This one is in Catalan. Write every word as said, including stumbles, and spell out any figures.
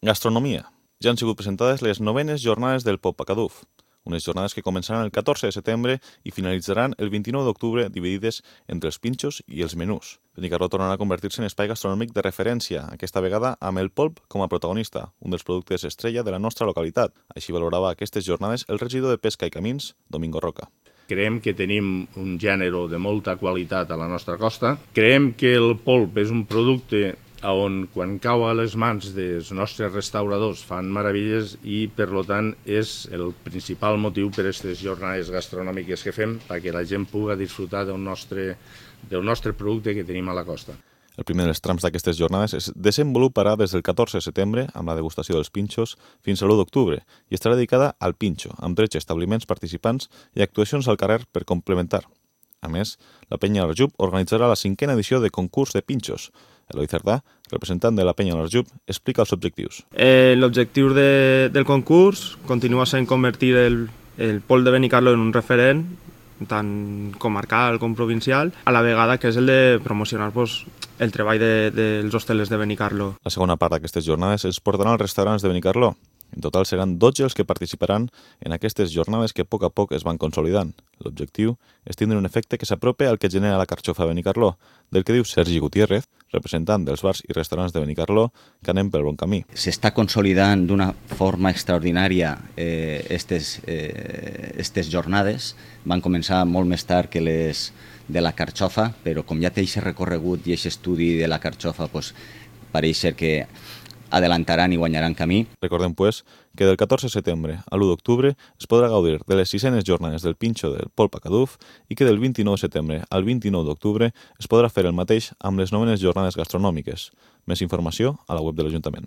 Gastronomia. Ja han sigut presentades les novenes jornades del Pop Pacaduf, unes jornades que començaran el catorze de setembre i finalitzaran el vint-i-nou d'octubre, dividides entre els pinxos i els menús. Benicarló tornarà a convertir-se en espai gastronòmic de referència, aquesta vegada amb el polp com a protagonista, un dels productes estrella de la nostra localitat. Així valorava aquestes jornades el regidor de Pesca i Camins, Domingo Roca. Creiem que tenim un gènere de molta qualitat a la nostra costa. Creiem que el polp és un producte on quan cau a les mans dels nostres restauradors fan meravelles i, per tant, és el principal motiu per a aquestes jornades gastronòmiques que fem, perquè la gent pugui disfrutar del nostre, del nostre producte que tenim a la costa. El primer dels trams d'aquestes jornades es desenvoluparà des del catorze de setembre amb la degustació dels pinxos fins a l'u d'octubre i estarà dedicada al pinxo, amb tretze establiments participants i actuacions al carrer per complementar. A més, la Penya Alarjub organitzarà la cinquena edició de concurs de pinxos. Eloi Cerdà, representant de la Penya Alarjub, explica els objectius. Eh, L'objectiu de, del concurs continua sent convertir el, el polp de Benicarló en un referent, tant comarcal com provincial, a la vegada que és el de promocionar pues, el treball de, dels hostelers de Benicarló. La segona part d'aquestes jornades es portaran als restaurants de Benicarló. En total seran dotze els que participaran en aquestes jornades que a poc a poc es van consolidant. L'objectiu és tindre un efecte que s'aprope al que genera la carxofa de Benicarló, del que diu Sergi Gutiérrez, representant dels bars i restaurants de Benicarló, que anem pel bon camí. S'està consolidant d'una forma extraordinària eh, estes, eh, estes jornades. Van començar molt més tard que les de la carxofa, però com ja té aquest recorregut i aquest estudi de la carxofa, pues, pareix ser que adelantaran i guanyaran camí. Recordem, pues, que del catorze de setembre a l'u d'octubre es podrà gaudir de les sisenes jornades del pinxo del Polp Pacaduf i que del vint-i-nou de setembre al vint-i-nou d'octubre es podrà fer el mateix amb les novenes jornades gastronòmiques. Més informació a la web de l'Ajuntament.